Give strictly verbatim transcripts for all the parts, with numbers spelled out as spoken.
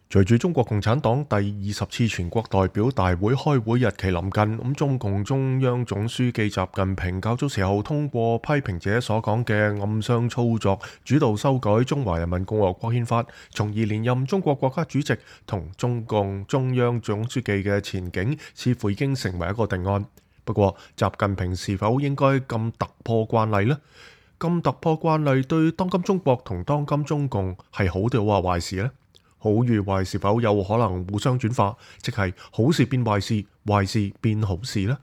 隨住中國共產黨第二十次全國代表大會開會日期臨近，咁中共中央總書記習近平較早時候通過批評者所講嘅暗箱操作，主導修改中華人民共和國憲法，從而連任中國國家主席同中共中央總書記嘅前景，似乎已經成為一個定案。不過，習近平是否應該咁突破慣例呢？咁突破慣例對當今中國同當今中共係好定話壞事呢？好與壞是否有可能互相轉化，即係好事變壞事，壞事變好事呢？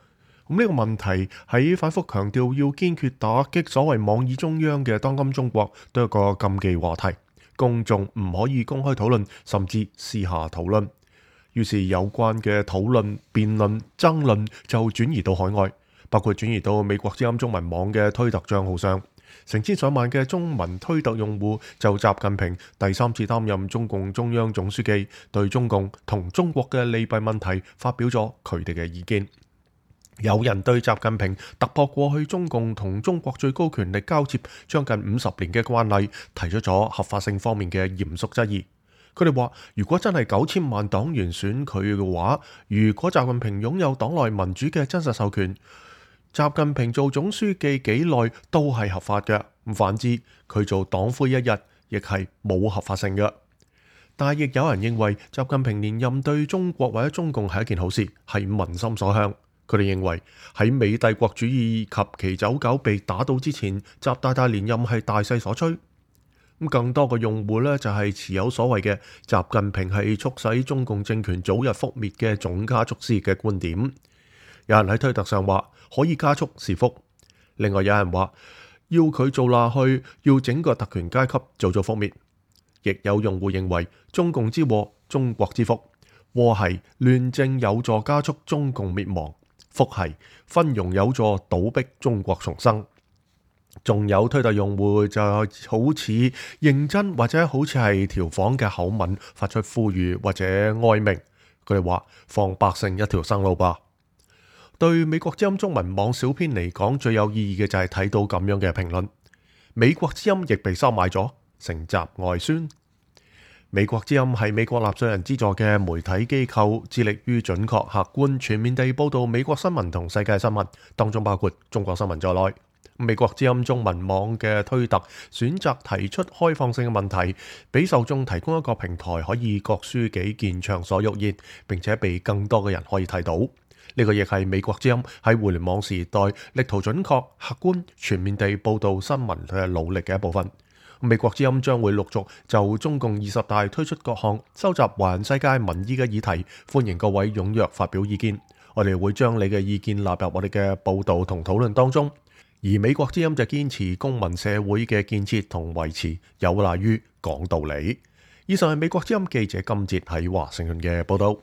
咁呢個問題喺反覆強調要堅決打擊所謂妄議中央嘅當今中國，都係個禁忌話題，公眾唔可以公開討論，甚至私下討論。於是有關嘅討論、辯論、爭論就轉移到海外，包括轉移到美國之音中文網嘅推特帳號上。成千上萬嘅中文推特用戶就習近平第三次擔任中共中央總書記，對中共同中國嘅利弊問題發表咗佢哋嘅意見。有人對習近平突破過去中共同中國最高權力交接將近五十年嘅慣例，提出咗合法性方面嘅嚴肅質疑。佢哋話，如果真係九千萬黨員選佢嘅話，如果習近平擁有黨內民主嘅真實授權，習近平做總書記幾耐都係合法嘅。反之，佢做黨魁一日亦係冇合法性嘅。但係亦有人認為習近平連任對中國或者中共係一件好事，係民心所向。佢哋認為喺美帝國主義及其走狗被打倒之前，習大大連任係大勢所趨。咁更多嘅用戶呢，就係持有所謂嘅習近平係促使中共政權早日覆滅嘅總加速師嘅觀點。有人喺推特上話可以加速是福，另外有人話要佢做下去，要整個特權階級早早覆滅。亦有用戶認為中共之禍，中國之福，禍係亂政有助加速中共滅亡，福係昏庸有助倒逼中國重生。仲有推特用戶就好似認真或者好似係調侃嘅口吻發出呼籲或者哀鳴，佢哋話放百姓一條生路吧。對美國之音中文網小編嚟講，最有意義嘅就係睇到咁樣嘅評論。美國之音亦被收買咗，成習外宣。美國之音係美國納稅人資助嘅媒體機構，致力於準確、客觀、全面地報導美國新聞同世界新聞，當中包括中國新聞在內。美國之音中文網嘅推特選擇提出開放性嘅問題，俾受眾提供一個平台，可以各抒己見、暢所欲言，並且被更多嘅人可以睇到。呢個亦係美國之音喺互聯網時代力圖準確、客觀、全面地報導新聞嘅努力嘅一部分。美國之音將會陸續就中共二十大推出各項收集環世界民意嘅議題，歡迎各位踴躍發表意見。我哋會將你嘅意見納入我哋嘅報導同討論當中。而美國之音就堅持公民社會嘅建設同維持有賴於講道理。以上係美國之音記者今節喺華盛頓嘅報導。